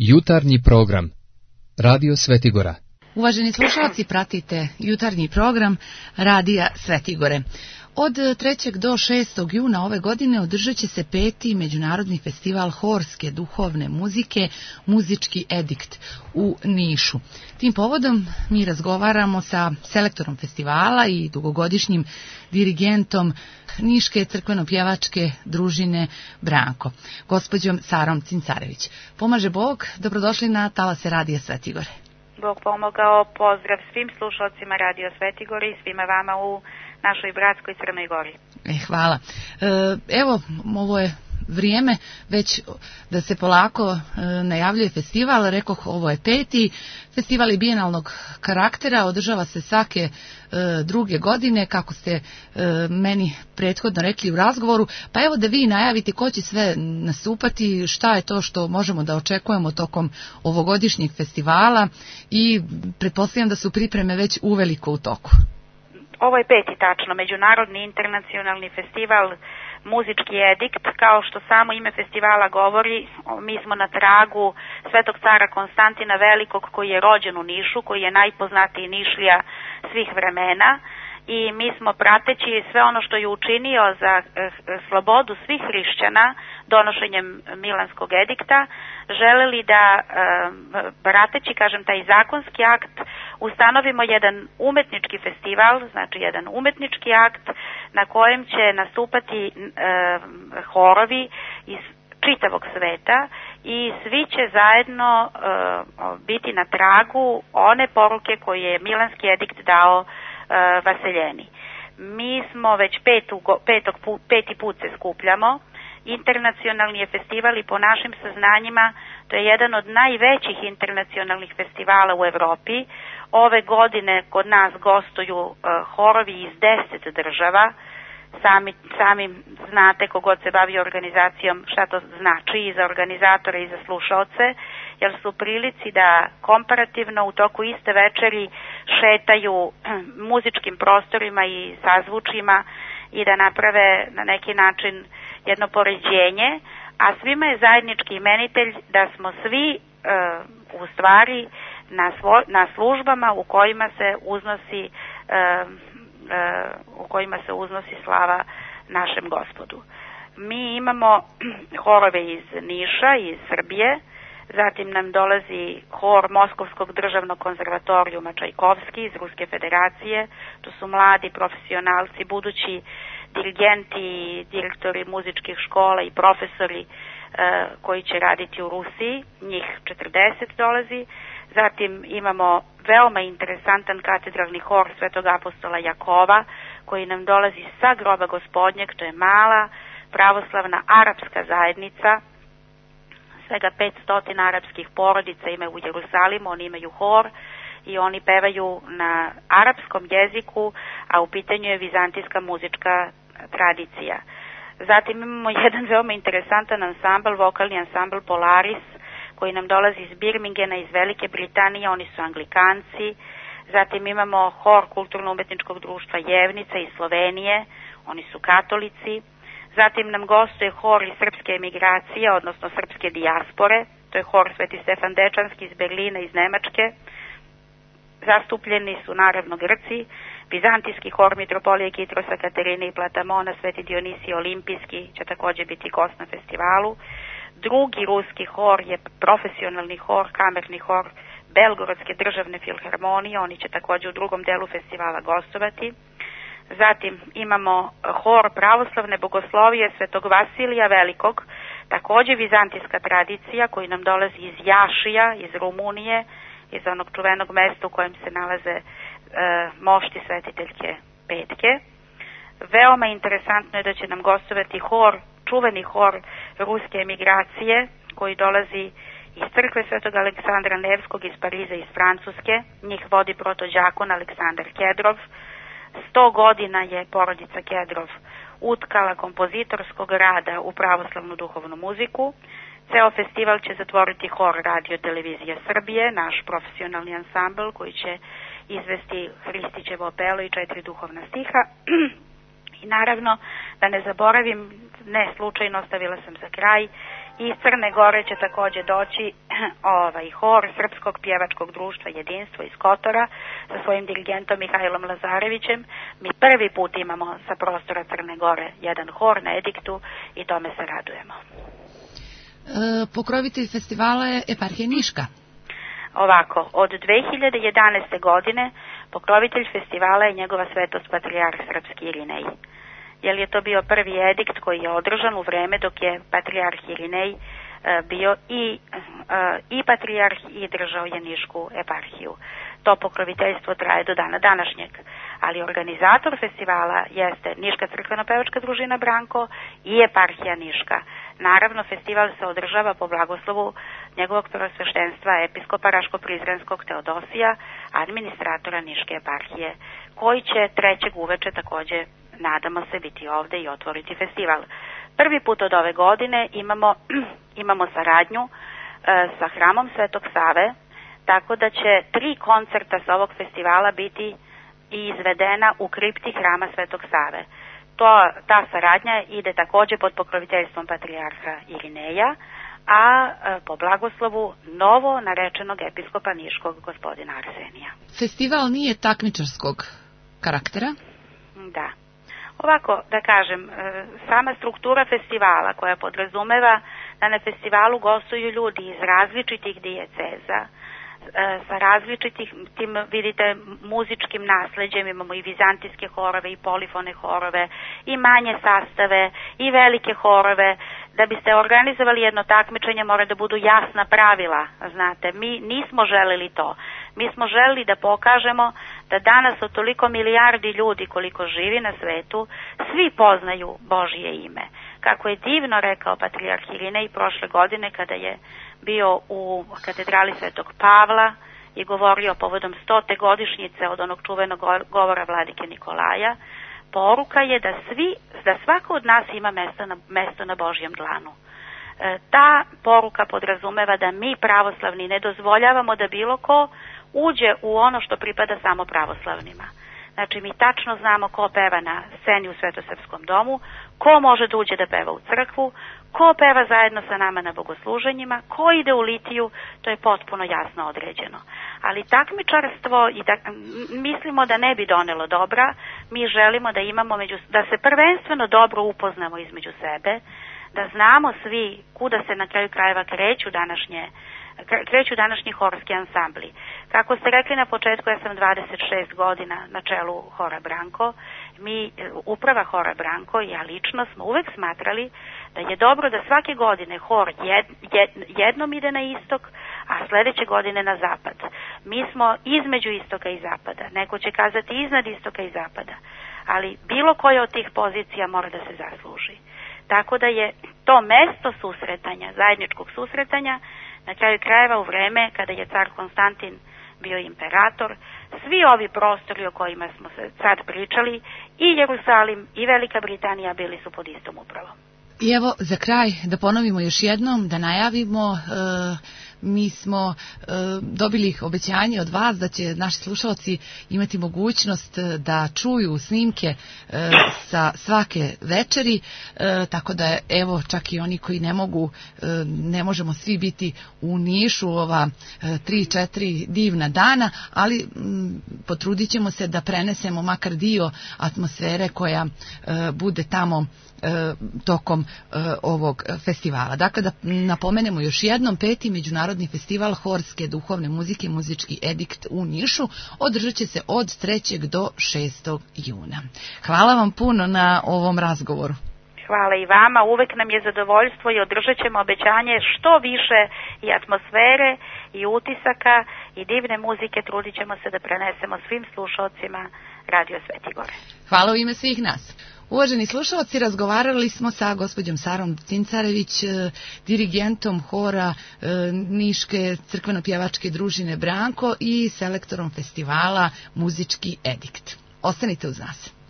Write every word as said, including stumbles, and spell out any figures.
Jutarnji program Radio Svetigora. Uvaženi slušalci, pratite jutarnji program Radija Svetigore. Od trećeg do šestog juna ove godine održat će se peti Međunarodni festival horske duhovne muzike Muzički edikt u Nišu. Tim povodom mi razgovaramo sa selektorom festivala i dugogodišnjim dirigentom Niške crkveno-pjevačke družine Branko, gospođom Sarom Cincarević. Pomaže Bog, dobrodošli na talase Radija Svetigore. Bog pomogao, pozdrav svim slušalcima Radio Svetigore i svima vama u našoj bratskoj Crnoj Gori. E, hvala. E, evo, ovo je vrijeme već da se polako e, najavljuje festival. Rekoh, ovo je peti. Festival je bijenalnog karaktera, održava se svake e, druge godine, kako ste e, meni prethodno rekli u razgovoru. Pa evo da vi najavite ko će sve nastupati, šta je to što možemo da očekujemo tokom ovogodišnjeg festivala i pretpostavljam da su pripreme već uveliko u toku. Ovo je peti tačno, Međunarodni internacionalni festival Muzički edikt. Kao što samo ime festivala govori, mi smo na tragu Svetog cara Konstantina Velikog, koji je rođen u Nišu, koji je najpoznatiji Nišlija svih vremena, i mi smo, prateći sve ono što je učinio za slobodu svih hrišćana donošenjem Milanskog edikta, želeli da, prateći, kažem, taj zakonski akt, ustanovimo jedan umetnički festival, znači jedan umetnički akt na kojem će nastupati horovi iz čitavog sveta i svi će zajedno biti na tragu one poruke koje je Milanski edikt dao Vaseljeni. Mi smo već petu, petog, peti put se skupljamo. Internacionalni je festival i po našim saznanjima to je jedan od najvećih internacionalnih festivala u Evropi. Ove godine kod nas gostuju uh, horovi iz deset država. Sami, sami znate, kogod se bavi organizacijom, šta to znači i za organizatore i za slušaoce, jer su u prilici da komparativno u toku iste večeri šetaju muzičkim prostorima i sazvučima i da naprave na neki način jedno poređenje, a svima je zajednički imenitelj da smo svi uh, u stvari na, svo, na službama u kojima se uznosi uh, u kojima se uznosi slava našem Gospodu. Mi imamo horove iz Niša, iz Srbije, zatim nam dolazi hor Moskovskog državnog konzervatorijuma Čajkovski iz Ruske federacije. To su mladi profesionalci, budući dirigenti, direktori muzičkih škola i profesori e, koji će raditi u Rusiji, njih četrdeset dolazi. Zatim imamo veoma interesantan katedralni hor Svetog apostola Jakova, koji nam dolazi sa groba Gospodnjeg, to je mala pravoslavna arapska zajednica, svega petsto arapskih porodica imaju u Jerusalimu, oni imaju hor i oni pevaju na arapskom jeziku, a u pitanju je vizantijska muzička tradicija. Zatim imamo jedan veoma interesantan ansambl, vokalni ansambl Polaris, koji nam dolazi iz Birmingena, iz Velike Britanije, oni su Anglikanci. Zatim imamo hor Kulturno-umetničkog društva Jevnica iz Slovenije, oni su katolici. Zatim nam gostuje hor iz srpske emigracije, odnosno srpske dijaspore, to je hor Sveti Stefan Dečanski iz Berlina, iz Nemačke. Zastupljeni su naravno Grci, Vizantijski hor Mitropolije Kitrosa, Katerine i Platamona, Sveti Dionisije Olimpijski će također biti gost na festivalu. Drugi ruski hor je profesionalni hor, kamerni hor Belgorodske državne filharmonije, oni će također u drugom delu festivala gostovati. Zatim imamo hor pravoslavne bogoslovije Svetog Vasilija Velikog, također vizantijska tradicija, koji nam dolazi iz Jašija, iz Rumunije, iz onog čuvenog mesta u kojem se nalaze e, mošti svetiteljke Petke. Veoma interesantno je da će nam gostovati hor, čuveni hor ruske emigracije, koji dolazi iz crkve Svetog Aleksandra Nevskog iz Pariza, iz Francuske. Njih vodi protođakon Aleksandar Kedrov. Sto godina je porodica Kedrov utkala kompozitorskog rada u pravoslavnu duhovnu muziku. Ceo festival će zatvoriti hor Radio Televizije Srbije, naš profesionalni ansambl koji će izvesti Hristićevo opelo i četiri duhovna stiha. I naravno, da ne zaboravim, ne slučajno ostavila sam za kraj, Iz Crne Gore će takođe doći ovaj hor Srpskog pjevačkog društva Jedinstvo iz Kotora sa svojim dirigentom Mihajlom Lazarevićem. Mi prvi put imamo sa prostora Crne Gore jedan hor na Ediktu i tome se radujemo. E, pokrovitelj festivala je eparhija Niška. Ovako, od dve hiljade jedanaeste godine pokrovitelj festivala je njegova svetost patrijarh Srpski Irinej. Jer je to bio prvi edikt koji je održan u vreme dok je patrijarh Irinej bio i, i patrijarh i držao je Nišku eparhiju. To pokroviteljstvo traje do dana današnjeg, ali organizator festivala jeste Niška crkveno-pevačka družina Branko i eparhija Niška. Naravno, festival se održava po blagoslovu njegovog prvosveštenstva episkopa Raško-Prizrenskog Teodosija, administratora Niške eparhije, koji će trećeg uveče takođe, nadamo se, biti ovde i otvoriti festival. Prvi put od ove godine imamo, imamo saradnju e, sa hramom Svetog Save, tako da će tri koncerta sa ovog festivala biti izvedena u kripti hrama Svetog Save. To, ta saradnja ide takođe pod pokroviteljstvom patrijarha Irineja, a e, po blagoslovu novo narečenog episkopa Niškog gospodina Arsenija. Festival nije takmičarskog karaktera? Da. Ovako, da kažem, sama struktura festivala koja podrazumeva da na festivalu gostuju ljudi iz različitih dijeceza, sa različitih, tim vidite, muzičkim nasleđem, imamo i vizantijske horove i polifone horove, i manje sastave, i velike horove. Da biste organizovali jedno takmičenje mora da budu jasna pravila, znate, mi nismo želeli to. Mi smo želeli da pokažemo da danas od toliko milijardi ljudi koliko živi na svetu, svi poznaju Božje ime. Kako je divno rekao patrijarh Irinej prošle godine kada je bio u katedrali Svetog Pavla i govorio povodom stote godišnjice od onog čuvenog govora vladike Nikolaja, poruka je da svi, da svako od nas ima mesto na, mesto na Božjem dlanu. E, ta poruka podrazumeva da mi pravoslavni ne dozvoljavamo da bilo ko uđe u ono što pripada samo pravoslavnima. Znači, mi tačno znamo ko peva na sceni u Svetosrpskom domu, ko može da uđe da peva u crkvu, ko peva zajedno sa nama na bogosluženjima, ko ide u litiju, to je potpuno jasno određeno. Ali takmičarstvo, i da, mislimo da ne bi donelo dobra, mi želimo da imamo, među, da se prvenstveno dobro upoznamo između sebe, da znamo svi kuda se na kraju krajeva kreću današnje kreću današnji horski ansambli. Kako ste rekli na početku, ja sam dvadeset šest godina na čelu hora Branko. Mi, uprava hora Branko i ja lično smo uvek smatrali da je dobro da svake godine hor jed, jed, jednom ide na istok, a sledeće godine na zapad. Mi smo između istoka i zapada. Neko će kazati iznad istoka i zapada. Ali bilo koja od tih pozicija mora da se zasluži. Tako da je to mesto susretanja, zajedničkog susretanja, na kraju krajeva u vreme kada je car Konstantin bio imperator, svi ovi prostori o kojima smo se sad pričali, i Jerusalim i Velika Britanija bili su pod istom upravom. I evo, za kraj, da ponovimo još jednom, da najavimo, e, mi smo e, dobili obećanje od vas da će naši slušalci imati mogućnost da čuju snimke e, sa svake večeri, e, tako da evo, čak i oni koji ne mogu, e, ne možemo svi biti u Nišu ova tri četiri divna dana, ali m, potrudit ćemo se da prenesemo makar dio atmosfere koja e, bude tamo tokom uh, ovog festivala. Dakle, da napomenemo još jednom, peti Međunarodni festival horske duhovne muzike Muzički edikt u Nišu održat će se od trećeg do šestog juna. Hvala vam puno na ovom razgovoru. Hvala i vama, uvek nam je zadovoljstvo i održat ćemo obećanje što više i atmosfere i utisaka i divne muzike, trudit ćemo se da prenesemo svim slušalcima Radio Svetigore. Hvala u ime svih nas. Uvaženi slušalci, razgovarali smo sa gospođom Sarom Cincarević, dirigentom hora Niške crkveno-pjevačke družine Branko i selektorom festivala Muzički edikt. Ostanite uz nas.